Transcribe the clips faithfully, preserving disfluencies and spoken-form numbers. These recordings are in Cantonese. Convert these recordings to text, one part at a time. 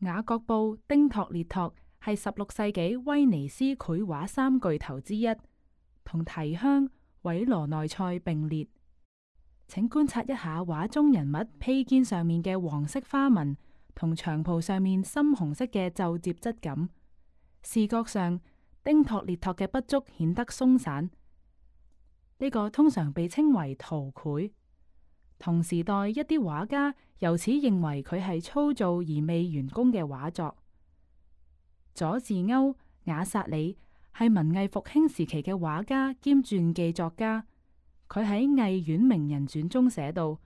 雅各布、丁托列托係十六世紀威尼斯繪畫三巨頭之一，同提香、韋羅內塞並列。請觀察一下畫中人物披肩上面嘅黃色花紋，同長袍上面深紅色嘅皺摺質感。視覺上，丁托列托嘅筆觸顯得鬆散。呢個通常被稱為圖繪。同時代一啲畫家由此認為佢係粗糙而未完工嘅畫作。佐治歐·雅薩里係文藝復興時期嘅畫家兼傳記作家。佢喺《藝苑名人傳》中寫道：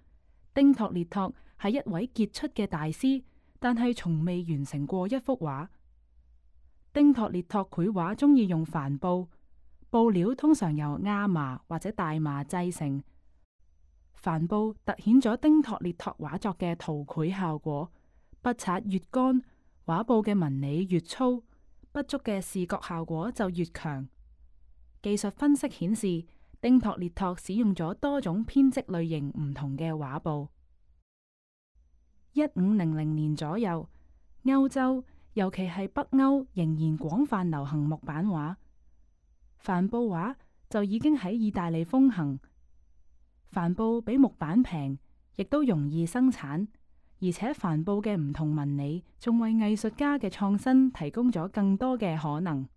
丁托列托係一位傑出嘅大師，但係從未完成過一幅畫。丁托列托繪畫中意用帆布，布料通常由亞麻或者大麻製成。帆布凸顯咗丁托列托畫作嘅圖繪效果，筆刷越乾，畫布嘅紋理越粗，筆觸嘅視覺效果就越強。技術分析顯示，丁托列托使用咗多種編織類型唔同嘅畫布。一五零零年左右，歐洲尤其係北歐仍然廣泛流行木版畫，帆布畫就已經喺意大利風行。帆布比木板平，亦都容易生產，而且帆布嘅唔同紋理仲為藝術家嘅創新提供咗更多嘅可能。